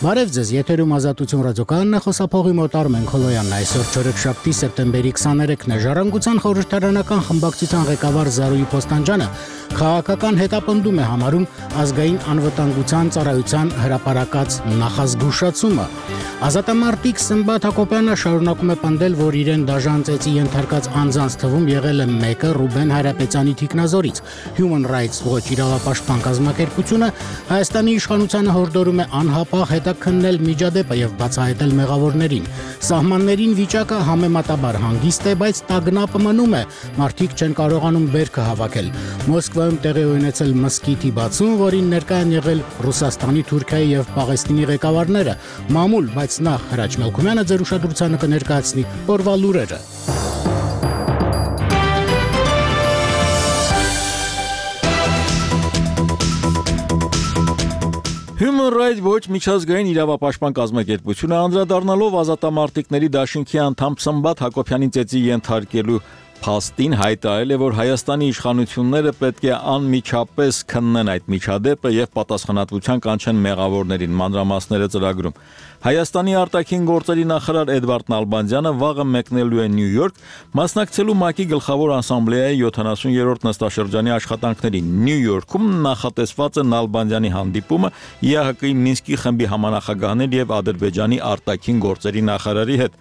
Բարև ձեզ, եթերում Ազատություն ռադիոկայանն է, խոսափողի մոտ Արմեն Քոլոյանն է, այսօր չորեքշաբթի սեպտեմբերի 23-ն է, Ժառանգության խորհրդարանական խմբակցության ղեկավար Զարուհի Փոստանջյանը քաղաքական հետապնդում է համարում ազգային անվտանգության ծառայության հրապարակած նախազգուշացումը։ Ազատամարտիկ Սմբատ Հակոբյանը շարունակում է պնդել, որ իրեն դաժան ծեծի ենթարկած անձանց թվում եղել է մեկը Ռուբեն Հայրապետյանի թիկնազորից։ Human Rights Watch իրավապաշտպան կազմակերպությունը Հայաստանի իշխանությանը հորդորում է անհապաղ հետաքննել միջադեպը եւ բացահայտել մեղավորներին։ Սահմաններին վիճակը համեմատաբար հանգիստ է, բայց տագնապը մնում է։ Մարդիկ չեն կարողանում բերքը հավաքել։ Մոսկվայում տեղի ունեցել մզկիթի բացում, որին ներկա են եղել Ռուսաստանի, Թուրքիայի եւ Պաղեստինի ղեկավարները։ Մամուլ, բայց նախ Հրաչ Մելքումյանը ձեր ուշադրությանը կներկայացնի օրվա լուրերը։ Human Rights Watch միջազգային իրավապաշտպան կազմակերպությունը անդրադառնալով ազատամարտիկների դաշինքի անդամ Սմբատ Հակոբյանի ծեծի ենթարկելու փաստին հայտարարել է, որ Հայաստանի իշխանությունները պետք է անմիջապես քննեն այդ միջադեպը եւ պատասխանատվության կանչեն մեղավորներին, մանրամասները ծրագրում։ Հայաստանի արտաքին գործերի նախարար Էդվարդ Նալբանդյանը վաղը մեկնելու է Նյու Յորք, մասնակցելու ՄԱԿ-ի գլխավոր ասամբլեայի 70-րդ նստաշրջանի աշխատանքներին։ Նյու Յորքում նախատեսված է Նալբանդյանի հանդիպումը ԵԱՀԿ-ի Մինսկի խմբի համանախագահաների եւ Ադրբեջանի արտաքին գործերի նախարարի հետ։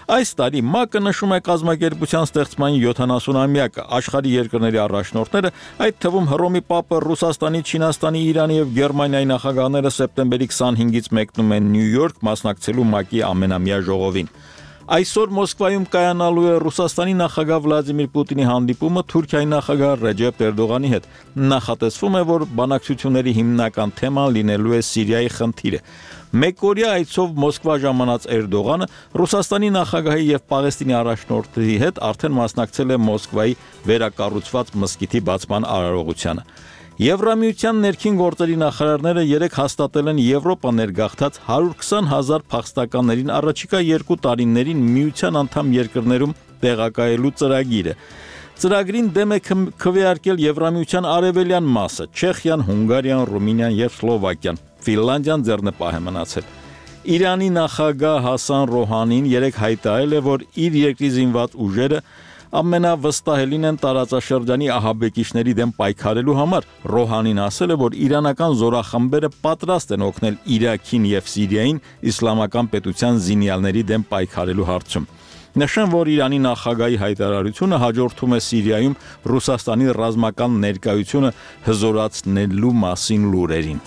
Այս տարի ՄԱԿ-ը նշում է կազմակերպության ստեղծման 70-ամյակը։ Աշխարհի երկրների առաջնորդները, այդ թվում Հռոմի Պապը, Ռուսաստանի, Չինաստանի, Իրանի եւ Գերմանիայի նախագահները սեպտեմբերի 25-ից մեկնում են Նյու Յորք մասնակցելու ՄԱԿ-ի ամենամյա ժողովին։ Այսօր Մոսկվայում կայանալու է Ռուսաստանի նախագահ Վլադիմիր Պուտինի հանդիպումը Թուրքիայի նախագահ Ռեջեփ Էրդողանի հետ։ Նախատեսվում է, որ բանակցությունների հիմնական թեման լինելու է Սիրիայի խնդիրը։ Մեկօրյա այցով Մոսկվա ժամանած Էրդողանը Ռուսաստանի նախագահի եւ Պաղեստինի առաջնորդի հետ արդեն մասնակցել է Մոսկվայի վերակառուցված մզկիթի բացման արարողությանը։ Եվրամիության ներքին գործերի նախարարները երեկ հաստատել են Եվրոպա ներգաղթած 120,000 փախստականներին առաջիկա 2 տարիներին միության անդամ երկրներում տեղակայելու ծրագիրը։ Ծրագրին դեմ է քվեարկել Եվրամիության արևելյան մասը՝ Չեխիան, Հունգարիան, Ռումինիան եւ Սլովակիան։ Ֆինլանդիան ձեռնպահ է մնացել։ Իրանի նախագահ Հասան Ռոհանին երեկ հայտարարել է, որ իր երկրի զինված ուժերը ամենավստահելին են տարածաշրջանի ահաբեկիչների դեմ պայքարելու համար։ Ռոհանին ասել է, որ իրանական զորախմբերը պատրաստ են օգնել Իրաքին եւ Սիրիային իսլամական պետության զինյալների դեմ պայքարելու հարցում։ Նշեմ, որ Իրանի նախագահի հայտարարությունը հաջորդում է Սիրիայում Ռուսաստանի ռազմական ներկայությունը հզորացնելու մասին լուրերին։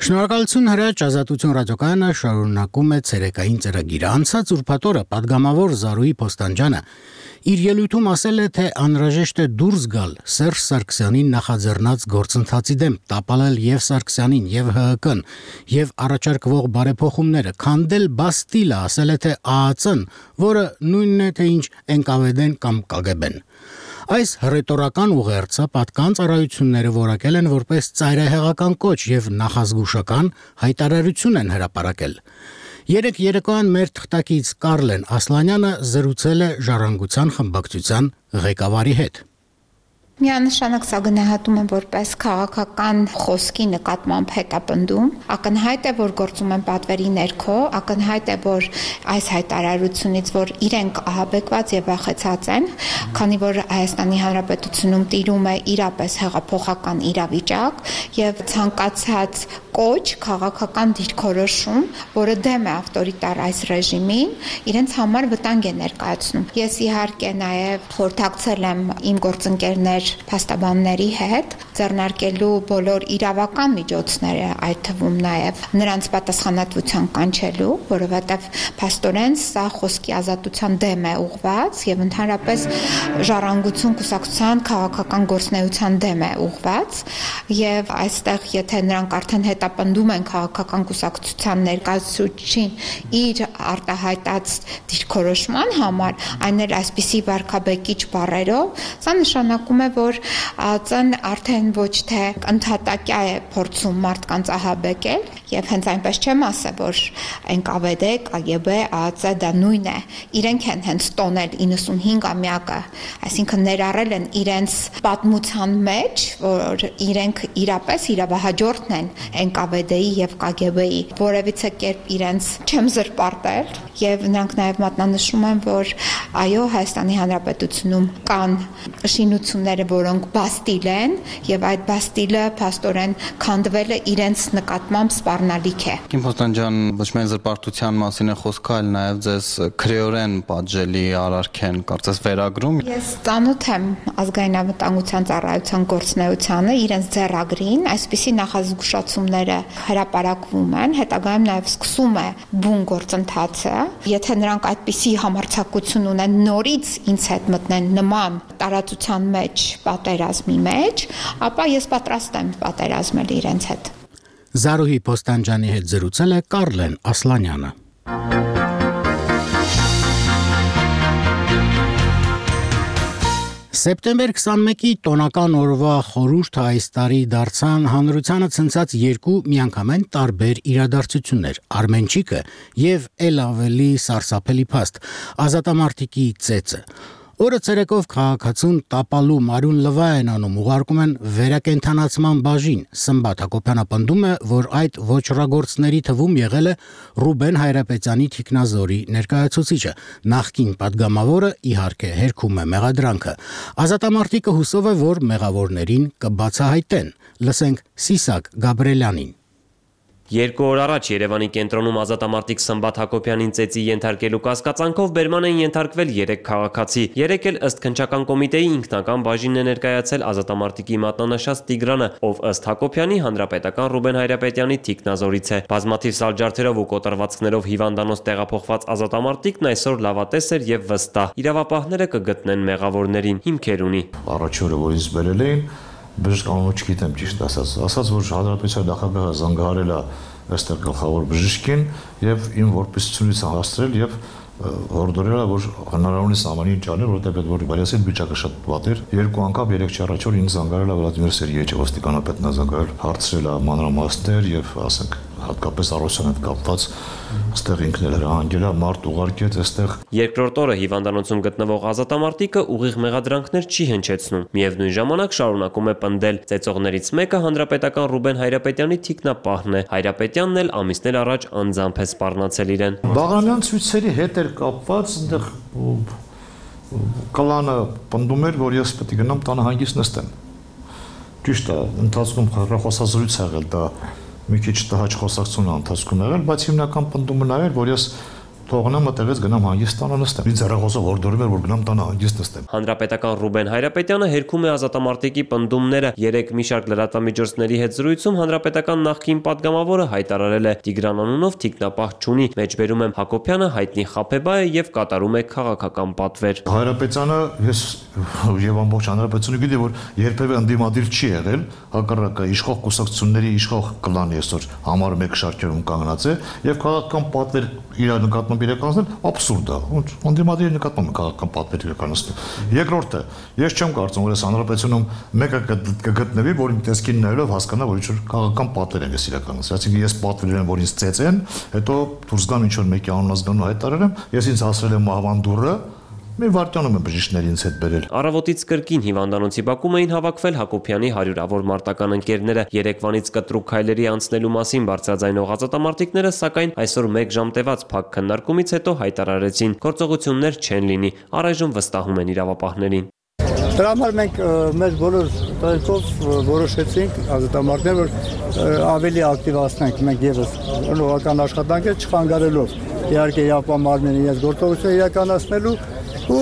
Շնորհակալություն Հրաչ, Ազատություն ռադիոկայանը շարունակում է ցերեկային ծրագիրը։ Անցած ուրբաթ օրը պատգամավոր Զարուհի Փոստանջյանը իր ելույթում ասել է, թե անհրաժեշտ է դուրս գալ Սերժ Սարգսյանին նախաձեռնած գործընթացի դեմ, տապալել եւ Սարգսյանին եւ ՀՀԿ-ն եւ առաջարկվող բարեփոխումները, քանդել Բաստիլը, ասել է, թե ԱԱՑ-ն, որը նույնն է, թե ինչ ՆԿՎԴ-ն կամ ԿԳԲ-ն։ Այս հռետորական ուղերձը պատկան ծառայությունները որակել են որպես ծայրահեղական կոչ եւ նախազգուշական հայտարարություն են հրապարակել։ Երեկ երեկոյան մեր թղթակից Կարլեն Ասլանյանը զրուցել է Ժառանգության խմբակցության ղեկավարի հետ։ Միանշանակ սա գնահատում եմ որպես քաղաքական խոսքի նկատմամբ հետապնդում։ Ակնհայտ է, որ գործում են պատվերի ներքո, ակնհայտ է, որ այս հայտարարությունից, որ իրենք ահաբեկված եւ վախեցած են, քանի որ Հայաստանի Հանրապետությունում տիրում է իրապես հեղափոխական իրավիճակ եւ ցանկացած կոչ քաղաքական դիրքորոշում, որը դեմ է ավտորիտար այս ռեժիմին, իրենց համար վտանգ է ներկայացնում։ Ես իհարկե նաեւ խորհրդակցել եմ իմ գործընկերներ փաստաբանների հետ ձեռնարկելու բոլոր իրավական միջոցները, այդ թվում նաև նրանց պատասխանատվության կանչելու, որովհետև փաստորեն սա խոսքի ազատության դեմ է ուղղված եւ ընդհանրապես ժառանգություն կուսակցության քաղաքական գործնեության դեմ է ուղղված եւ այստեղ եթե նրանք արդեն հետապնդում են քաղաքական կուսակցության ներկայացուցչին իր արտահայտած դիրքորոշման համար, այն էլ այսպիսի վարքաբեկիչ բառերով, սա նշանակում է, որ ԱԱԾ-ն արդեն ոչ թե ընդհատակյա է փորձում մարդկանց ահաբեկել, եւ հենց այնպես չեմ ասա, որ ՆԿՎԴ, ԿԳԲ, ԱԱԾ դա նույն է, իրենք են հենց տոնել 95-ամյակը, այսինքն ներառել են իրենց պատմության մեջ, որ իրենք իրապես իրավահաջորդն են ՆԿՎԴ-ի եւ ԿԳԲ-ի, որևիցե կերպ իրենց չեմ զրպարտել եւ նրանք նաեւ մատնանշում են, որ այո, Հայաստանի Հանրապետությունում կան շինությունները, որոնք բաստիլ են եւ այդ բաստիլը փաստորեն քանդվել է իրենց նկատմամբ սպառնալիք է։ Կիմփոստան ջան, ոչ միայն զրպարտության մասին է խոսքը, այլ նաեւ ձեզ քրեորեն պատժելի արարքեն կարծես վերագրում։ Ես ծանոթ եմ ազգային անվտանգության ծառայության գործունեությանը, իրենց ձեռագրին, այսպիսի նախազգուշացումները հրապարակվում են, հետագայում նաեւ սկսում է բուն գործընթացը։ Եթե նրանք այդպիսի համարձակություն ունեն նորից ինձ հետ մտնեն նման տարածության մեջ պատերազմի մեջ, ապա ես պատրաստ եմ պատերազմել իրենց հետ։ Զարուհի Պոստանջանի հետ զրուցել է Կարլեն Ասլանյանը։ Սեպտեմբեր 21-ի տոնական օրվա խորհուրդը այս տարի դարձան հանրությանը ցնցած երկու միանգամայն տարբեր իրադարձություններ՝ Արմենչիկը եւ ել ավելի սարսափելի փաստ՝ ազատամարտիկի ծեծը։ Օրը ցերեկով քաղաքացուն տապալու Մարուն Լվա են անում, ուղարկում են վերակենդանացման բաժին։ Սմբատ Հակոբյանը պնդում է, որ այդ ոչռագործների թվում եղել է Ռուբեն Հայրապետյանի թիկնազորի ներկայացուցիչը։ Նախկին падգամավորը իհարկե հերքում է մեղադրանքը։ Ազատամարտիկը հուսով է, որ մեղավորներին կբացահայտեն։ Լսենք Սիսակ Գաբրելյանին։ Երկու օր առաջ Երևանի կենտրոնում ազատամարտիկ Սմբատ Հակոբյանին ծեծի ենթարկելու կասկածանքով բերման են ենթարկվել 3 քաղաքացի։ 3 էլ ըստ քննչական կոմիտեի ինքնական բաժինն է ներկայացել ազատամարտիկի մատնանշած Տիգրանը, ով ըստ Հակոբյանի հանրապետական Ռուբեն Հայրապետյանի թիկնազորից է։ Բազմաթիվ սալջարդերով ու կոտրվածքներով հիվանդանոց տեղափոխված ազատամարտիկն այսօր լավատես էր եւ վստահ։ Իրավապահները կգտնեն մեղավորներին, հիմքեր ունի։ Առաջի օրը որ ինձ բերել էին, բժիշկ անունը չգիտեմ ճիշտ ասած, որ հանրապետության նախագահը զանգահարել է այստեղ գլխավոր բժիշկին եւ իմ որպեսությունից հասցրել եւ հորդորել է, որ հնարավորինս ամենին ճանել, որովհետեւ այդ վարիացիան վիճակը շատ վատ էր։ Երկու անգամ 3-4 առաջ օր ինձ զանգահարել է Վլադիմիր Սերգեյեvichը, ոստիկանապետն է զանգահարել, հարցրել է մանրամասներ եւ ասենք հատկապես առողջության հետ կապված այստեղ ինքն էլ հրահանգել է մարդ ուղարկեց այստեղ։ Երկրորդ օրը հիվանդանոցում գտնվող ազատամարտիկը ուղիղ մեղադրանքներ չի հնչեցնում։ Միևնույն ժամանակ շարունակում է պնդել։ Ծեծողներից մեկը հանրապետական Ռուբեն Հայրապետյանի թիկնապահն է։ Հայրապետյանն էլ ամիսներ առաջ անձամբ է սպառնացել իրեն։ Բաղանյան ցույցերի հետ էր կապված, այնտեղ կլանը պնդում էր, որ ես պետք է գնամ տանը հանգիստ նստեմ։ Ճիշտ է, ընթացքում հեռախոսազրույց ա եղել, դա մի քիչ տհաճ խոսակցություն ընթացքում եղել, բայց հիմնական պնդումը նա էր, որ ես թողնեմ այդտեղից գնամ հանգիստ տանը նստեմ։ Ինձ հեռախոսով հորդորում էր, որ գնամ տանը հանգիստ նստեմ։ Հանրապետական Ռուբեն Հայրապետյանը հերքում է ազատամարտիկի պնդումները։ 3 մի շարք լրատվամիջոցների հետ զրույցում հանրապետական նախկին падգամավորը հայտարարել է Տիգրան անունով թիկնապահ չունի։ Մեջբերում եմ Հակոբյանը հայտնի խաբեբա է եւ կատարում է քաղաքական պատվեր։ Հայրապետյանը ես եւ ամբողջ հանրապետությունը գիտի, որ երբևէ ընդդիմադիր չի եղել, հակառակը իշխող կուսակցությունների իշխող կլանի այսօր համար 1 շարքերում կանգնած է եւ քաղաքական պատվեր իր նկատմամբ իրականացնել աբսուրդ է։ Ընդդիմադիրի նկատմամբ քաղաքական պատվեր իրականացնել։ Երկրորդը, ես չեմ կարծում, որ այս հանրապետությունում մեկը կգտնվի, որ իմ տեսքին նայելով հասկանա, որ ինչ-որ քաղաքական պատվեր են իրականացել։ Այսինքն ես պատվեր եմ, որ ինձ ծեծեն, հետո դուրս գամ ինչ-որ մեկի անունազգանու հայտարարեմ, ես ինձ հասրել եմ մահվան դուռը, մի վարդյանում եմ բժիշկներին ինձ հետ բերել։ Առավոտից կրկին հիվանդանոցի բակում էին հավաքվել Հակոբյանի հարյուրավոր մարտական ընկերները։ Երեկվանից կտրուկ քայլերի անցնելու մասին բարձրաձայնող ազատամարտիկները, սակայն այսօր 1 ժամ տևած փակ քննարկումից հետո հայտարարեցին, գործողություններ չեն լինի, առայժմ վստահում են իրավապահներին։ Դրա համար մենք մեր բոլոր տարիքով որոշեցինք ազատամարտներ, որ ավելի ակտիվացնենք մենք եւս նորական աշխատանքը չխանգարելով իհարկե իրավապահ իրենց գործողությունը իրականացնելու ու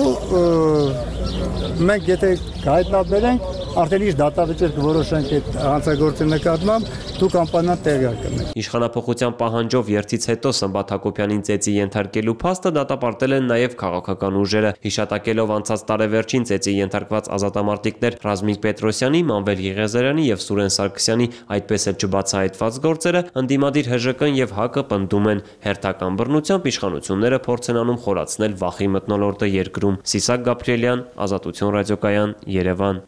մենք եթե հայտնաբերենք արդեն ինչ դատավճիռ կորոշենք այդ հանցագործի նկատմամբ, դուք անպայման տեղյակ կլինեք։ Իշխանապողության պահանջով երթից հետո Սմբատ Հակոբյանին ծեծի ենթարկելու փաստը դատապարտել են նաև քաղաքական ուժերը, հիշատակելով անցած տարեվերջին ծեծի ենթարկված ազատամարտիկներ Ռազմիկ Պետրոսյանի, Մանվել Եղիազարյանի եւ Սուրեն Սարգսյանի, այդպես էլ չբացահայտված գործերը, ընդդիմադիր ՀԺԿ-ն եւ ՀԱԿ-ը պնդում են, հերթական բռնությամբ իշխանությունները փորձ են անում խորացնել վախի մթնոլորտը երկրում։ Սիսակ Գաբրիելյան, Ազատություն ռադիոկայան, Երևան։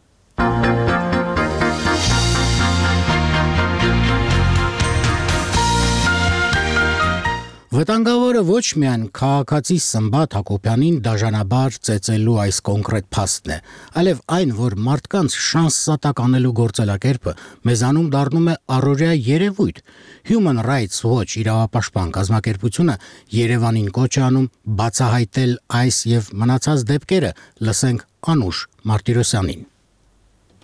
Վտանգավորը ոչ միայն քաղաքացի Սմբատ Հակոբյանին դաժանաբար ծեծելու այս կոնկրետ փաստն է, այլև այն, որ մարդկանց շանս սատակ անելու գործելակերպը մեզանում դառնում է առօրյա երևույթ։ Human Rights Watch իրավապաշտպան կազմակերպությունը Երևանին կոչ է անում բացահայտել այս եւ մնացած դեպքերը, լսենք Անուշ Մարտիրոսյանին։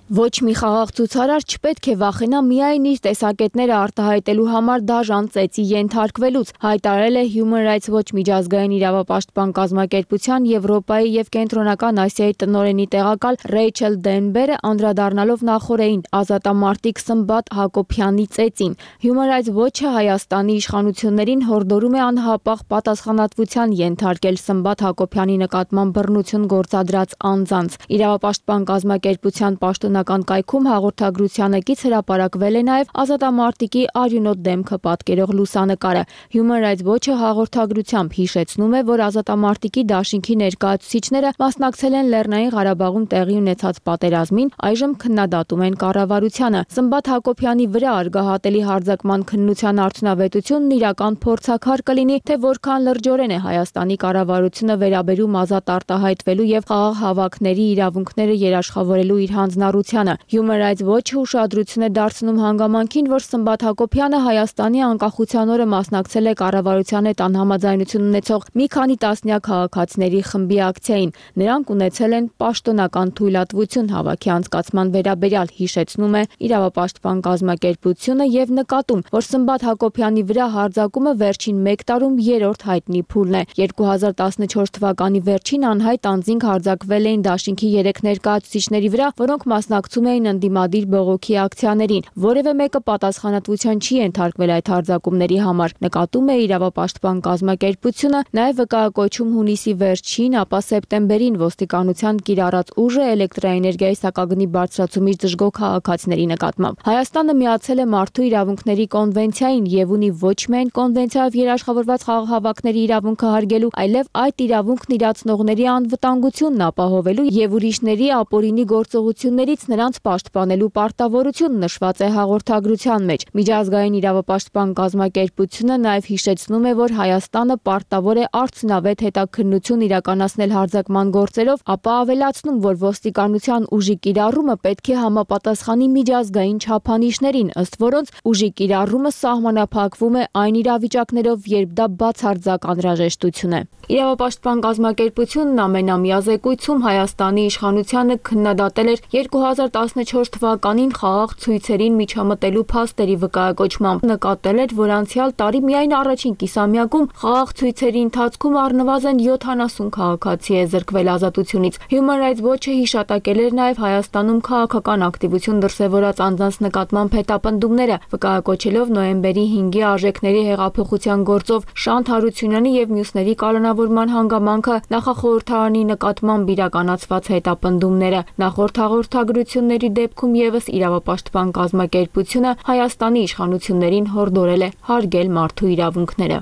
Ոչ մի խաղաղ ցուցարար չպետք է վախենա միայն իր տեսակետները արտահայտելու համար դաժան ծեծի ենթարկվելուց, հայտարարել է Human Rights Watch միջազգային իրավապաշտպան կազմակերպության Եվրոպայի եւ Կենտրոնական Ասիայի տնօրենի տեղակալ Ռեյչել Դենբերը անդրադառնալով նախորդին ազատամարտիկ Սմբատ Հակոբյանի ծեծին։ Human Rights Watch-ը Հայաստանի իշխանություններին հորդորում է անհապաղ պատասխանատվության ենթարկել Սմբատ Հակոբյանի նկատմամբ բռնություն գործադրած անձանց։ Իրավապաշտպան կազմակերպության պաշտոնական կայքում հաղորդագրությանը կից հրապարակվել է նաև ազատամարտիկի արյունոտ դեմքը պատկերող լուսանկարը։ Human Rights Watch-ը հաղորդագրությամբ հիշեցնում է, որ ազատամարտիկի դաշինքի ներկայացուցիչները մասնակցել են Լեռնային Ղարաբաղում տեղի ունեցած պատերազմին, այժմ քննադատում են կառավարությանը։ Սմբատ Հակոբյանի վրա արգահատելի հարձակման քննության արդյունավետությունն իրական փորձաքար կլինի, թե որքան լրջորեն է Հայաստանի կառավարությունը վերաբերում ազատ արտահայտվելու եւ խաղաղ հավաքների իրավունքները երաշխավորելու իր հանձնառությանը։ Human Rights Watch-ը ուշադրություն է դարձնում հանգամանքին, որ Սմբատ Հակոբյանը Հայաստանի անկախության օրը մասնակցել է կառավարության հետ անհամաձայնություն ունեցող մի քանի տասնյակ քաղաքացիների խմբի ակցիային։ Նրանք ունեցել են պաշտոնական թույլատվություն հավաքի անցկացման վերաբերյալ, հիշեցնում է իրավապաշտպան կազմակերպությունը եւ նկատում, որ Սմբատ Հակոբյանի վրա հարձակումը վերջին 1 տարում երրորդ հայտնի փուլն է։ 2014 թվականի վերջին անհայտ անձինք հարձակվել էին դաշինքի 3 ներկայացուցիչների վրա, որոնք մասնակցում էին ընդդիմադիր բողոքի ակցիաներին։ Որևէ մեկը պատասխանատվության չի ենթարկվել այդ հարձակումների համար, նկատում է իրավապաշտպան կազմակերպությունը, նաև վկայակոչում հունիսի վերջին, ապա սեպտեմբերին ոստիկանության կիրառած ուժը էլեկտրաէներգիայի սակագնի բարձրացումից դժգոհ քաղաքացիների նկատմամբ։ Հայաստանը միացել է Մարդու իրավունքների կոնվենցիային եւ ունի ոչ միայն կոնվենցիայով երաշխավորված խաղաղ հավաքների իրավունքը հարգելու, այլև այդ իրավունքն իրացնողների անվտանգությունն ապահովելու եւ ուրիշների ապօրինի գործողություններից նրանց պաշտպանելու պարտավորություն նշված է հաղորդագրության մեջ։ Միջազգային իրավապաշտպան կազմակերպությունը նաև հիշեցնում է, որ Հայաստանը պարտավոր է արդյունավետ հետաքննություն իրականացնել հարձակման գործերով, ապա ավելացնում, որ ոստիկանության ուժի կիրառումը պետք է համապատասխանի միջազգային չափանիշներին, ըստ որոնց ուժի կիրառումը սահմանափակվում է այն իրավիճակներով, երբ դա բացարձակ անհրաժեշտություն է։ Իրավապաշտպան կազմակերպությունն ամենամյա զեկույցում Հայաստանի իշխանությանը քննադատել էր 2014 թվականին խաղաղ ցույցերին միջամտելու փաստերի վկայակոչմամբ, նկատել էր, որ անցյալ տարի միայն առաջին կիսամյակում խաղաղ ցույցերի ընթացքում առնվազն 70 քաղաքացի է զրկվել ազատությունից։ Human Rights Watch-ը հիշատակել էր նաև Հայաստանում քաղաքական ակտիվություն դրսևորած անձանց նկատմամբ հետապնդումները, վկայակոչելով նոյեմբերի 5-ի արժեքների հեղափոխության գործով Շանթ Հարությունյանի եւ մյուսների կալանավորման հանգամանքը նախախորհրդարանի նկատմամբ իրականացված հետապնդումները։ Նախորդ հաղորդագրությունների դեպքում եւս իրավապաշտպան կազմակերպությունը Հայաստանի իշխանություններին հորդորել է հարգել մարդու իրավունքները։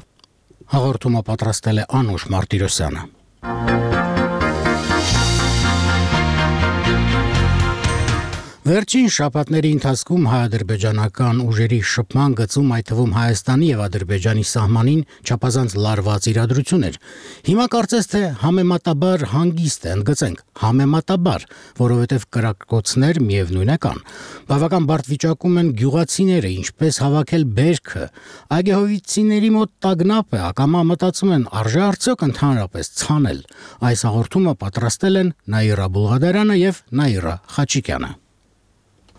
Հաղորդումը պատրաստել է Անուշ Մարտիրոսյանը։ Վերջին շաբաթների ընթացքում հայ-ադրբեջանական ուժերի շփման գծում, այդ թվում Հայաստանի եւ Ադրբեջանի սահմանին չափազանց լարված իրադրություն էր։ Հիմա կարծես թե համեմատաբար հանգիստ է, ընդգծենք, համեմատաբար, որովհետեւ կրակոցներ միևնույն է կան։ Բավական բարդ վիճակում են գյուղացիները, ինչպես հավաքել բերքը։ Այգեհովիցիների մոտ տագնապ է, ակամա մտածում են, արժե արդյոք ընդհանրապես ցանել։ Այս հաղորդումը պատրաստել են Նաիրա Բուլղադարյանը եւ Նաիրա Խաչիկյանը։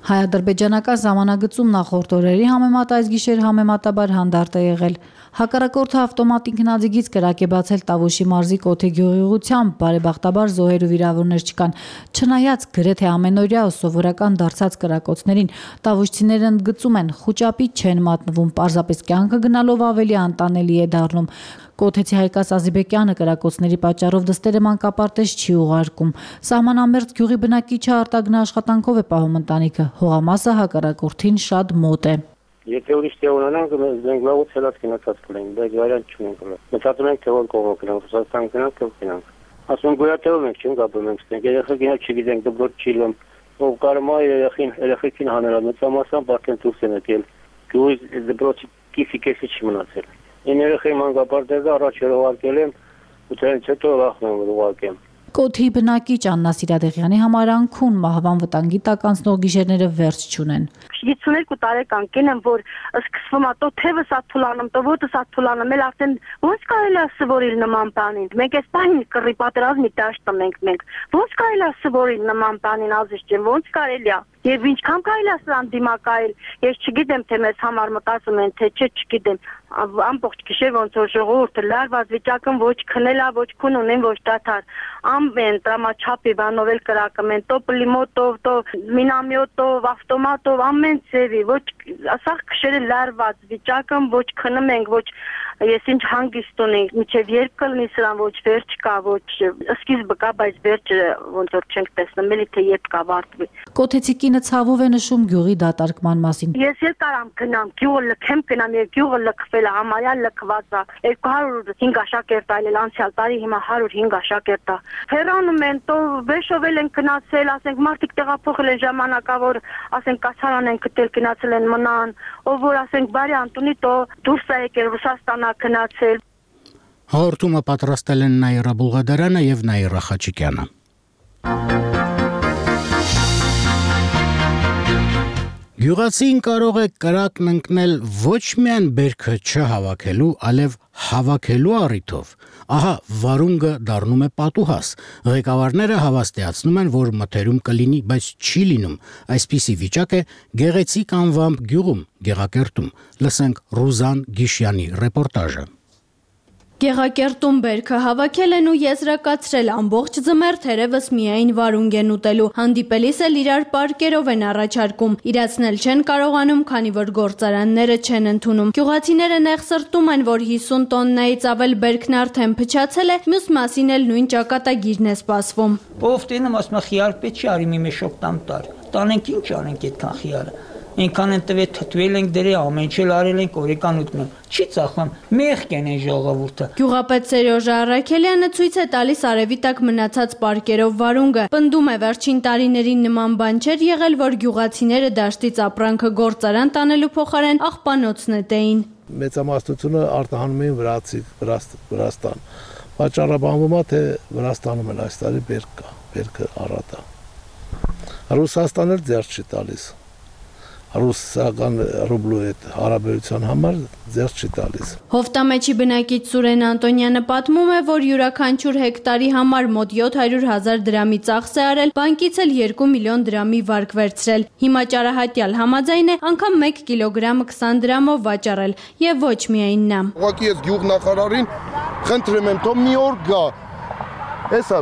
Հայ-ադրբեջանական ժամանագծում նախորդ օրերի համեմատ այս գիշեր համեմատաբար հանդարտ է եղել։ Հակառակորդը ավտոմատ ինքնաձիգից կրակ է բացել Տավուշի մարզի Կոթի գյուղի ուղղությամբ, բարեբախտաբար զոհեր ու վիրավորներ չկան։ Չնայած գրեթե ամենօրյա ու սովորական դարձած կրակոցներին, տավուշցիները ընդգծում են, խուճապի չեն մատնվում, պարզապես կյանքը գնալով ավելի անտանելի է դառնում։ Կոթեցի Հայկաս Ազիբեկյանը կրակոցների պատճառով դստերը մանկապարտեզ չի ուղարկում։ Սահմանամերձ գյուղի բնակիչը արտագնա աշխատանքով է պահում ընտանիքը, հողամասը հակառակորդին շատ մոտ է։ Եթե ուրիշ տեղ ունենանք, մենք լավոց հելած գնացած կլենք, բայց վարիանտ չունենք։ Մտածում ենք, թե որ կողմով գնանք, Ռուսաստան գնանք, կով գնանք։ Ասում գոյատևում ենք, չենք ապրում ենք ստենք, երեխեքին չգիտենք, դպրոց չի լում, ով կարում է երեխեքին հանրալ, մեծամասամբ արդեն դուրս են եկել, գյուղի դպրոցի կիսի չի մնացել։ Ին երեխեի մանկապարտեզը առաջ ուղարկել եմ, ու դրանից հետո վախնում եմ ուղարկեմ։ Կոթի բնակիչ Աննա Սիրադեղյանի համար անքուն մահվան վտանգի տակ անցնող գիշերները վերջ չունեն։ 52 տարեկան կին եմ, որ սկսվում է տո թևս աթուլանում, տո ոտս աթուլանում, էլ արդեն ոնց կարելի է սովորել նման բանին։ Մենք այս բանին կռի պատերազմի դաշտ ենք մենք։ Ոնց կարելի է սովորել նման բանին, ազիզ ջան, ոնց կարելի է։ Եվ ինչքան կարելի է սրան դիմակայել, ես չգիտեմ, թե մեզ համար մտածում են, թե չէ, չգիտեմ։ Ամբողջ գիշեր ոնց որ ժողովուրդը լարված վիճակում ոչ քնելա, ոչ քուն ունեն, ոչ դաթար։ Ամեն տրամաչափի բանով էլ կրակում են, տո պլիմոտով, տո մինամյոտով, ավտոմատով, ամեն ձևի, ոչ ասախ գիշերը լարված վիճակում, ոչ քնում ենք, ոչ ես ինչ հանգիստ ունենք, մինչև երբ կլինի սրան, ոչ վերջ կա, ոչ սկիզբը կա, բայց վերջը ոնց որ չենք տեսնում, էլի թե երբ կավարտվի։ Կոթեցի կինը ցավով է նշում գյուղի դատարկման մասին։ Ես էլ կարամ գնամ, գյուղը լքեմ գնամ, եւ գյուղը լքվել է, համարյա լքված է։ 205 աշակերտ այլել անցյալ տարի, հիմա 105 աշակերտ է։ Հեռանում են, տո վեշովել են գնացել, ասենք մարդիկ տեղափոխել են ժամանակավոր, ասենք կացարան են գտել, գնացել են մնան, ով որ ասենք բարի Անտոնի տո դուրս է եկել Ռուսաստանա գնացել։ Հաղորդումը պատրաստել են Նաիրա Բուլղադարյանը եւ Նաիրա Խաչիկյանը։ Գյուղացին կարող է կրակն ընկնել ոչ միայն բերքը չհավաքելու, այլև հավաքելու առիթով։ Ահա վարունգը դառնում է պատուհաս։ Ղեկավարները հավաստիացնում են, որ մթերում կլինի, բայց չի լինում։ Այսպիսի վիճակ է Գեղեցիկ անվամբ գյուղում, Գեղակերտում։ Լսենք Ռուզան Գիշյանի ռեպորտաժը։ Գեղակերտում բերքը հավաքել են ու եզրակացրել ամբողջ ձմեռ թերևս միայն վարունգ են ուտելու։ Հանդիպելիս էլ իրար պարկերով են առաջարկում։ Իրացնել չեն կարողանում, քանի որ գործարանները չեն ընդունում։ Գյուղացիները նեղսրտում են, որ 50 տոննայից ավել բերքն արդեն փչացել է, մյուս մասին էլ նույն ճակատագիրն է սպասվում։ Ով տենեմ ասում խիար պետք չի արի մի մեշոկ տամ տար։ Տանենք ինչ անենք այդքան խիարը։ Ինքան են տվե թթվել ենք դրե ամեն ինչ արել ենք օրեկան ուտնում։ Չի ծախում, մեղք են այն ժողովուրդը։ Գյուղապետ Սերոժ Արաքելյանը ցույց է տալիս արևի տակ մնացած պարկերով վարունգը։ Պնդում է վերջին տարիներին նման բան չէր եղել, որ գյուղացիները դաշտից ապրանքը գործարան տանելու փոխարեն աղբանոց նետեին։ Մեծամասնությունը արտահանում էին Վրաստան։ Պատճառաբանվում է, թե Վրաստանում էլ այս տարի բերք կա, բերքը առատ է։ Ռուսաստանը ձեռք չի տալիս։ Ռուսական ռուբլու հետ հարաբերության համար ձեռք չի տալիս։ Հովտամեջի բնակիչ Սուրեն Անտոնյանը պատմում է, որ յուրաքանչյուր հեկտարի համար մոտ 700,000 դրամի ծախս է արել, բանկից էլ 2 միլիոն դրամի վարկ վերցրել։ Հիմա ճարահատյալ համաձայն է անգամ 1 կիլոգրամը 20 դրամով վաճառել, եւ ոչ միայն նա։ Ուղղակի ես գյուղնախարարին խնդրում եմ, թող մի օր գա։ Էսա,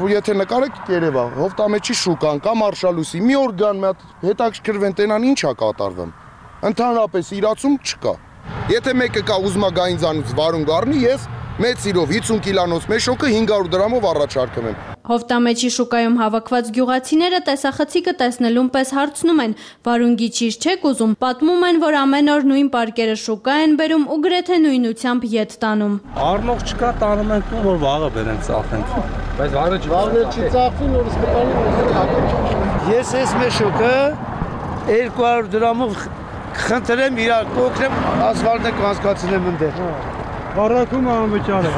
եթե նկարեք Երևա, Հովտամեջի շուկան կամ Արշալույսի, մի օր գան, մի հատ հետաքրքրվեն տենան ինչ է կատարվում։ Ընդհանրապես իրացում չկա։ Եթե մեկը կա ուզում է գայնձանից վարունգ առնի, ես մեծ սիրով 50 կիլոնոց մեշոկը 500 դրամով առաջարկում եմ։ Հովտամեջի շուկայում հավաքված գյուղացիները տեսախցիկը տեսնելուն պես հարցնում են, վարունգի ճիշտ չեք ուզում, պատմում են, որ ամեն օր նույն պարկերը շուկա են բերում ու գրեթե նույնությամբ ետ տանում։ Առնող չկա, տանում ենք ու որ վաղը բերենք ծախենք։ Բայց վաղը չի ծախվին, որ սպիտալի։ Ես այս մեշոկը 200 դրամով խնդրեմ իրար կոքրեմ, ասֆալտը կանցկացնեմ ընդեր։ Առաքում անվճար է։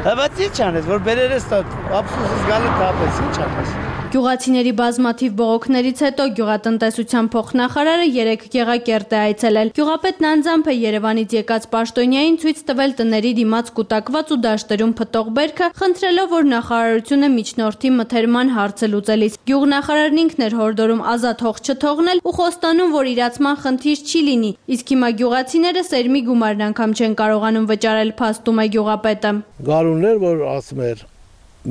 Բայց ինչ անես, որ բերերես տա, ապսուսս գալը տապես, ինչ անես։ Գյուղացիների բազմաթիվ բողոքներից հետո գյուղատնտեսության փոխնախարարը 3 Գեղակերտ է այցելել։ Գյուղապետն անձամբ է Երևանից եկած պաշտոնյային ցույց տվել տների դիմաց կուտակված ու դաշտերում փտող բերքը, խնդրելով, որ նախարարությունը միջնորդի մթերման հարցը լուծելիս։ Գյուղնախարարն ինքն էր հորդորում ազատ հող չթողնել ու խոստանում, որ իրացման խնդիր չի լինի, իսկ հիմա գյուղացիները սերմի գումարն անգամ չեն կարողանում վճարել, փաստում է գյուղապետը։ Գարուններ, որ ասում էր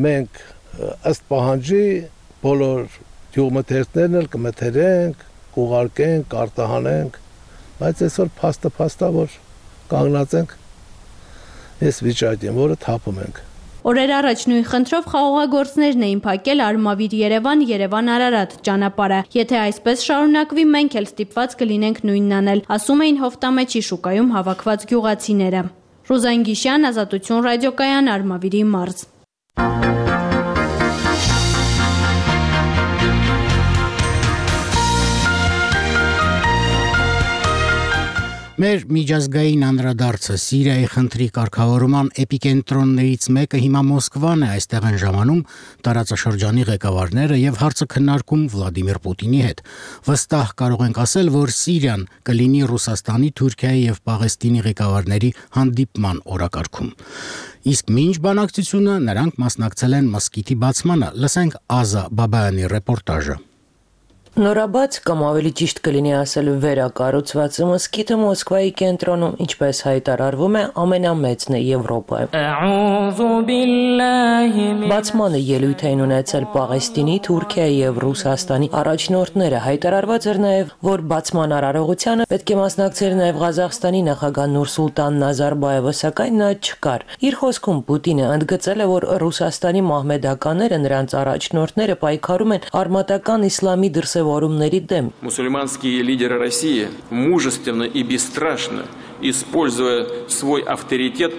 մենք ըստ պահանջի բոլոր գյուղմթերքներն էլ կմթերենք, կուղարկենք, կարտահանենք, բայց այսօր փաստը որ կանգնած ենք այս վիճակին, որը թափում ենք։ Օրեր առաջ նույն խնդրով խաղողագործներն էին փակել Արմավիր Երևան, Երևան Արարատ ճանապարհը։ Եթե այսպես շարունակվի, մենք էլ ստիպված կլինենք նույնն անել, ասում էին Հովտամեջի շուկայում հավաքված գյուղացիները։ Ռուզան Գիշյան, Ազատություն ռադիոկայան, Արմավիրի մարզ։ Մեր միջազգային անդրադարձը Սիրիայի խնդրի կարգավորման էպիկենտրոններից մեկը հիմա Մոսկվան է, այստեղ են ժամանում տարածաշրջանի ղեկավարները եւ հարցը քննարկում Վլադիմիր Պուտինի հետ։ Վստահ կարող ենք ասել, որ Սիրիան կլինի Ռուսաստանի, Թուրքիայի եւ Պաղեստինի ղեկավարների հանդիպման օրակարգում։ Իսկ մինչ բանակցությունը նրանք մասնակցել են մզկիթի բացմանը։ Լսենք Ազա Բաբայանի ռեպորտաժը։ Նորաբաց կամ ավելի ճիշտ կլինի ասել վերակառուցված մզկիթը Մոսկվայի կենտրոնում, ինչպես հայտարարվում է, ամենամեծն է Եվրոպայում։ Բացմանը ելույթ էին ունեցել Պաղեստինի, Թուրքիայի եւ Ռուսաստանի առաջնորդները։ Հայտարարված էր նաեւ, որ բացման արարողությանը պետք է մասնակցեր նաեւ Ղազախստանի նախագահ Նուրսուլտան Նազարբաևը, սակայն նա չկար։ Իր խոսքում Պուտինը ընդգծել է, որ Ռուսաստանի մահմեդականները, նրանց առաջնորդները պայքարում են արմատական իսլամի դրսևորումների դեմ։ Мусульманские лидеры России мужественно и бесстрашно, используя свой авторитет,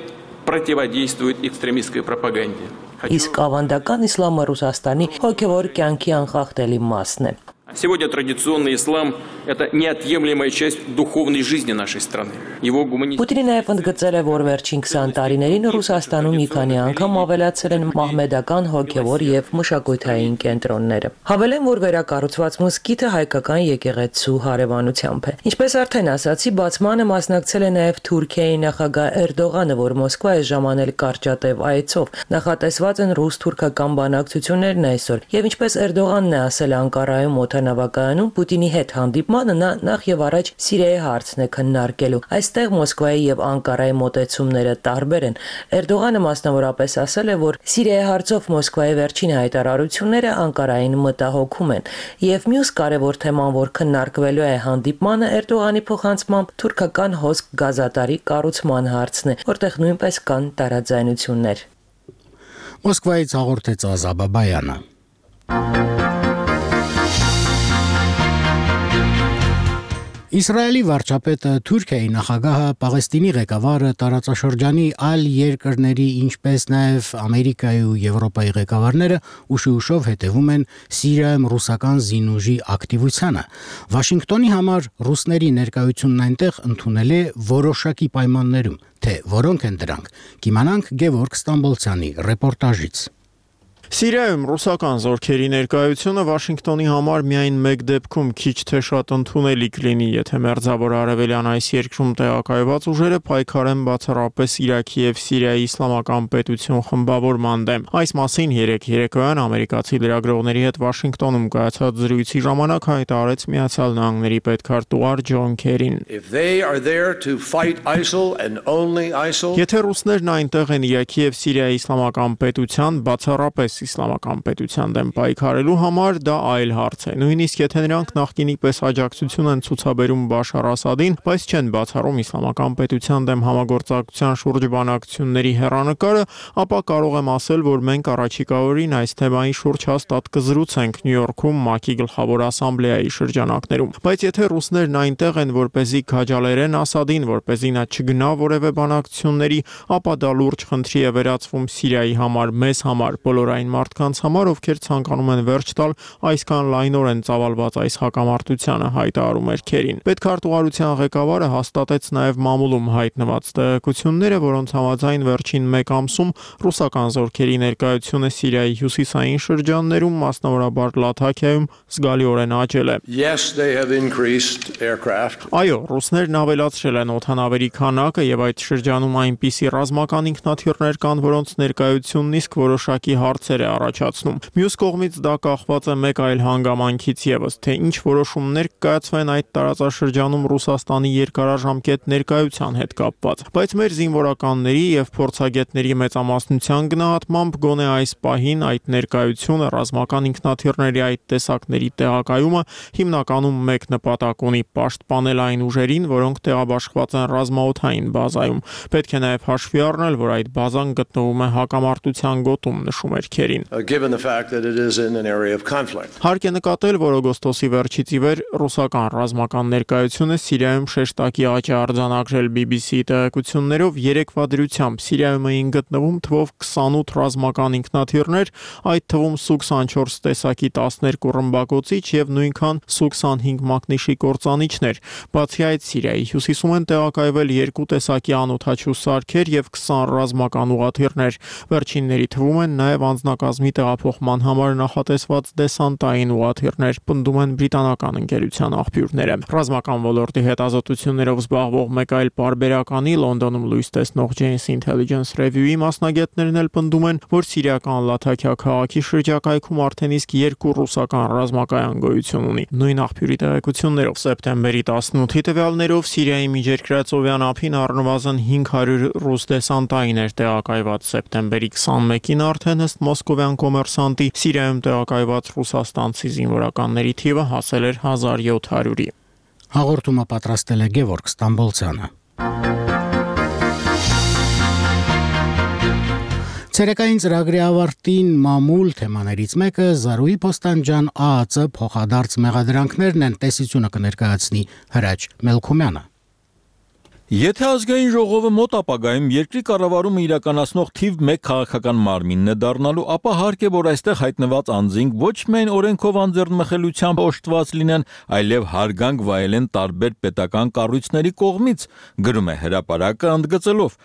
противодействуют экстремистской пропаганде. Իսկ ավանդական իսլամը Ռուսաստանի հոգևոր կյանքի անխախտելի մասն է։ Сегодня традиционный ислам – это неотъемлемая часть духовной жизни нашей страны. Его Պուտինը նաև ընդգծել է, որ վերջին 20 տարիներին Ռուսաստանում մի քանի անգամ ավելացել են մահմեդական հոգևոր եւ մշակութային կենտրոնները։ Հավելեմ, որ վերակառուցված մզկիթը հայկական եկեղեցու հարևանությամբ է։ Ինչպես արդեն ասացի, բացմանը մասնակցել է նաև Թուրքիայի նախագահ Էրդողանը, որ Մոսկվա է ժամանել կարճատև այցով։ Նախատեսված են ռուս-թուրքական բանակցություններն այսօր։ Եվ ինչպես Էրդողանն է ասել Անկարայում օդանավակայանում, Պուտինի հետ հանդիպմանը նա նախ եւ առաջ Սիրիայի հարցն է քննարկելու։ Այստեղ Մոսկվայի եւ Անկարայի մոտեցումները տարբեր են։ Էրդողանը մասնավորապես ասել է, որ Սիրիայի հարցով Մոսկվայի վերջին հայտարարությունները Անկարային մտահոգում են։ Եվ մյուս կարևոր թեման, որ քննարկվելու է հանդիպմանը, Էրդողանի փոխանցմամբ թուրքական հոսք գազատարի կառուցման հարցն է, որտեղ նույնպես կան տարաձայնություններ։ Մոսկվայից հաղորդեց Ազա Բաբայանը։ Իսրայելի վարչապետը, Թուրքիայի նախագահը, Պաղեստինի ղեկավարը, տարածաշրջանի այլ երկրների, ինչպես նաև Ամերիկայի ու Եվրոպայի ղեկավարները ուշ-ուշով հետևում են Սիրիայում ռուսական զինուժի ակտիվությանը։ Վաշինգտոնի համար ռուսների ներկայությունն այնտեղ ընդունել է որոշակի պայմաններում, թե որոնք են դրանք։ Կիմանանք Գևորգ Ստամբոլցյանի ռեպորտաժից։ Սիրիայում ռուսական զորքերի ներկայությունը Վաշինգտոնի համար միայն մեկ դեպքում քիչ թե շատ ընդունելի կլինի, եթե մերձավոր արևելյան այս երկրում տեղակայված ուժերը պայքարեն բացառապես Իրաքի եւ Սիրիայի իսլամական պետություն խմբավորման դեմ։ Այս մասին երեկոյան ամերիկացի լրագրողների հետ Վաշինգտոնում կայացած զրույցի ժամանակ հայտարարեց Միացյալ Նահանգների պետքարտուղար Ջոն Քերին։ Եթե ռուսներն այնտեղ են Իրաքի եւ Սիրիայի իսլամական պետության բացառապես իսլամական պետության դեմ պայքարելու համար, դա այլ հարց է։ Նույնիսկ եթե նրանք նախկինի պես աջակցություն են ցուցաբերում Բաշար Ասադին, բայց չեն բացառում իսլամական պետության դեմ համագործակցության շուրջ բանակցությունների հեռանկարը, ապա կարող եմ ասել, որ մենք առաջիկա օրին այս թեմայի շուրջ հաստատ կզրուցենք Նյու Յորքում ՄԱԿ-ի գլխավոր ասամբլեայի շրջանակներում։ Բայց եթե ռուսներն այնտեղ են, որպեսզի քաջալերեն Ասադին, որպեսզի նա չգնա որևէ բանակցությունների, ապա դա լուրջ խնդրի է վերածվում Սիրիայի համար, մեզ համար, բոլոր այն այն մարդկանց համար, ովքեր ցանկանում են վերջ տալ այսքան լայնորեն ծավալված այս հակամարտությանը, հայտարարում էր Քերին։ Պետքարտուղարության ղեկավարը հաստատեց նաև մամուլում հայտնված տեղեկությունները, որոնց համաձայն վերջին 1 ամսում ռուսական զորքերի ներկայությունը Սիրիայի հյուսիսային շրջաններում, մասնավորաբար Լաթաքիայում, զգալիորեն աճել է։ Այո, ռուսներն ավելացրել են օդանավերի քանակը եւ այդ շրջանում այնպիսի ռազմական ինքնաթիռներ կան, որոնց ներկայությունն իսկ որոշակի հարցեր է առաջացնում։ Մյուս կողմից դա կախված է մեկ այլ հանգամանքից եւս, թե ինչ որոշումներ կայացվեն այդ տարածաշրջանում Ռուսաստանի երկարաժամկետ ներկայության հետ կապված։ Բայց մեր զինվորականների եւ փորձագետների մեծամասնության գնահատմամբ գոնե այս պահին այդ ներկայությունը ռազմական ինքնաթիռների այդ տեսակների տեղակայումը հիմնականում մեկ նպատակ ունի՝ պաշտպանել այն ուժերին, որոնք տեղաբաշխված են ռազմաօդային բազայում։ Պետք է նաև հաշվի առնել, որ այդ բազան գտնվում է հակամարտության գոտում, նշում էր Քերին։ Հարկ է նկատել, որ օգոստոսի վերջից ի վեր ռուսական ռազմական ներկայությունը Սիրիայում շեշտակի աճ է արձանագրել BBC-ի տեղեկություններով 3-վա դրությամբ Սիրիայում էին գտնվում թվով 28 ռազմական ինքնաթիռներ, այդ թվում Su-24 տեսակի 12 ռմբակոծիչ եւ նույնքան Su-25 մակնիշի կործանիչներ։ Բացի այդ, Սիրիայի հյուսիսում են տեղակայվել 2 տեսակի անօդաչու սարքեր եւ 20 ռազմական ուղաթիռներ։ Վերջինների թվում են նաեւ անձնակազմի տեղափոխման համար նախատեսված դեսանտային ուղաթիռներ, պնդում են բրիտանական ընկերության աղբյուրները։ Ռազմական ոլորտի հետազոտություններով զբաղվող մեկ այլ պարբերականի Լոնդոնում լույս տեսնող Janes Intelligence Review-ի մասնագետներն էլ պնդում են, որ սիրիական Լաթաքիա քաղաքի շրջակայքում արդեն իսկ 2 ռուսական ռազմակայան գոյություն ունի։ Նույն աղբյուրի տեղեկություններով սեպտեմբերի 18-ի տվյալներով Սիրիայի միջերկրածովյան ափին առնվազն 500 ռուս դեսանտային էր տեղակայված, սեպտեմբերի 21-ին արդեն ըստ մոսկովյան կոմերսանտի Սիրիայում տեղակայված ռուսաստանցի զինվորականների թիվը հասել էր 1700-ի։ Հաղորդումը պատրաստել է Գևորգ Ստամբոլցյանը։ Ցերեկային ծրագրի ավարտին մամուլ թեմաներից մեկը Զարուհի Փոստանջան ԱԱՑ փոխադարձ մեղադրանքներն են, տեսությունը կներկայացնի Հրաչ Մելքումյանը։ Եթե ազգային ժողովը մոտ ապագայում երկրի կառավարումը իրականացնող թիվ 1 քաղաքական մարմինն է դառնալու, ապա հարկ է, որ այստեղ հայտնված անձինք ոչ միայն օրենքով անձեռնմխելիությամբ օժտված լինեն, այլև հարգանք վայելեն տարբեր պետական կառույցների կողմից, գրում է հրապարակը ընդգծելով։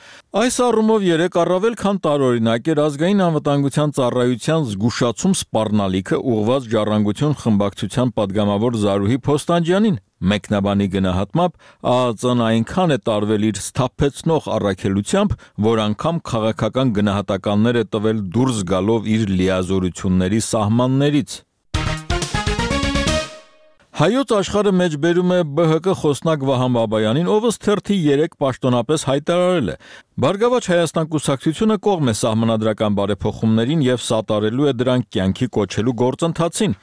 Այս առումով երեկ առավել քան տարօրինակ էր ազգային անվտանգության ծառայության զգուշացում սպառնալիքը ուղղված Ժառանգություն խմբակցության падգամավոր Զարուհի Փոստանջյանին։ Մեկնաբանի գնահատմամբ ԱԱԾ-ն այնքան է տարվել իր սթափեցնող առաքելությամբ, որ անգամ քաղաքական գնահատականներ է տվել դուրս գալով իր լիազորությունների սահմաններից։ Հայոց աշխարհը մեջբերում է ԲՀԿ խոսնակ Վահան Բաբայանին, ով ըստ թերթի 3 պաշտոնապես հայտարարել է. Բարգավաճ Հայաստան կուսակցությունը կողմ է սահմանադրական բարեփոխումներին եւ սատարելու է դրանք կյանքի կոչելու գործընթացին։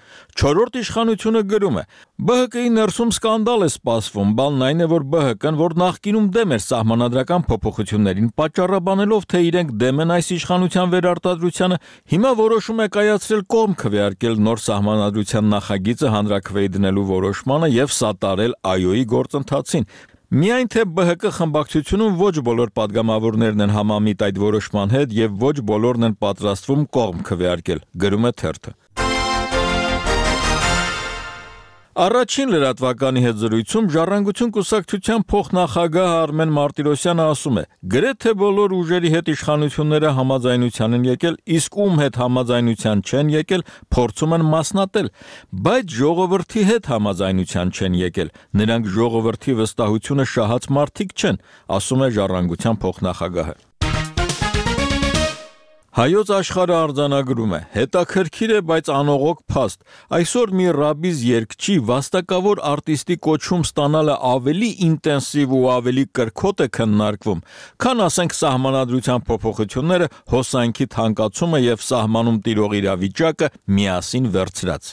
4-րդ իշխանությունը գրում է. ԲՀԿ-ի ներսում սկանդալ է սպասվում, բանն այն է, որ ԲՀԿ-ն, որ նախկինում դեմ էր սահմանադրական փոփոխություններին, պատճառաբանելով, թե իրենք դեմ են այս իշխանության վերարտադրությանը, հիմա որոշում է կայացրել կողմ քվեարկել նոր սահմանադրության նախագիծը հանրաքվեի դնելու որոշմանը եւ սատարել ԱՅՈ-ի գործընթացին։ Միայն թե ԲՀԿ խմբակցությունում ոչ բոլոր падգամավորներն են համամիտ այդ որոշման հետ եւ ոչ բոլորն են պատրաստվում կողմ քվեարկել, գրում է թերթը։ Առաջին լրատվականի հետ զրույցում Ժառանգություն կուսակցության փոխնախագահ Արմեն Մարտիրոսյանը ասում է. գրեթե բոլոր ուժերի հետ իշխանությունները համաձայնության են եկել, իսկ ում հետ համաձայնության չեն եկել, փորձում են մասնատել, բայց ժողովրդի հետ համաձայնության չեն եկել, նրանք ժողովրդի վստահությունը շահած մարդիկ չեն, ասում է Ժառանգության փոխնախագահը։ Հայոց աշխարհը արձանագրում է. հետաքրքիր է, բայց անողոք փաստ։ Այսօր մի ռաբիզ երգչի վաստակավոր արտիստի կոչում ստանալը ավելի ինտենսիվ ու ավելի կրքոտ է քննարկվում, քան ասենք սահմանադրության փոփոխությունները, հոսանքի թանկացումը եւ սահմանում տիրող իրավիճակը միասին վերցրած։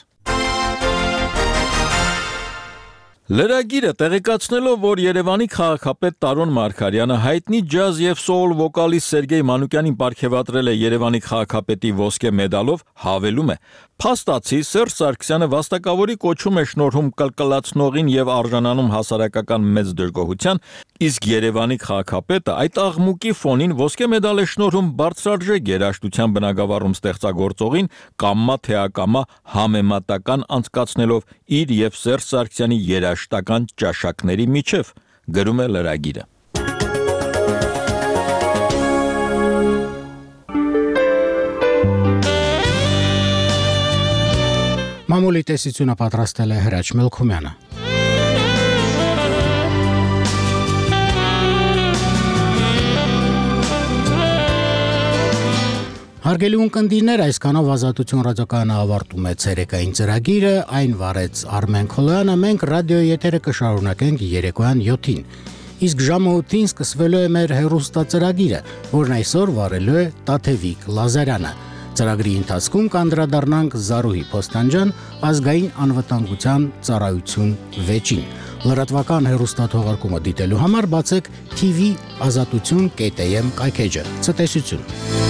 Լրագիրը տեղեկացնելով, որ Երևանի քաղաքապետ Տարոն Մարգարյանը հայտնի ջազ եւ սոուլ վոկալիստ Սերգեյ Մանուկյանին պարգևատրել է Երևանի քաղաքապետի ոսկե մեդալով, հավելում է. Փաստացի Սերժ Սարգսյանը վաստակավորի կոչում է շնորհում կլկլացնողին եւ արժանանում հասարակական մեծ դժգոհության, իսկ Երևանի քաղաքապետը այդ աղմուկի ֆոնին ոսկե մեդալ է շնորհում բարձրարժեք երաժշտության բնագավառում ստեղծագործողին կամմա թե ակամա համեմատական անցկացնելով իր եւ Սերժ Սարգսյանի երաժշտական ճաշակների միջև, գրում է լրագիրը։ Մամուլի տեսությունը պատրաստել է Հրաչ Մելքումյանը։ Հարգելի ունկնդիրներ, այսքանով Ազատություն ռադիոկայանը ավարտում է ցերեկային ծրագիրը, այն վարեց Արմեն Քոլոյանը, մենք ռադիոյի եթերը կշարունակենք երեկոյան 7-ին։ Իսկ ժամը 8-ին սկսվելու է մեր հեռուստածրագիրը, որն այսօր վարելու է Տաթևիկ Լազարյանը։ Ծրագրի ընթացքում կանդրադառնանք Զարուհի Փոստանջան ազգային անվտանգության ծառայություն 6-ին։ Լրատվական հեռուստաթողարկումը դիտելու համար բացեք TV Ազատություն.am կայքեջը։ Ցտեսություն։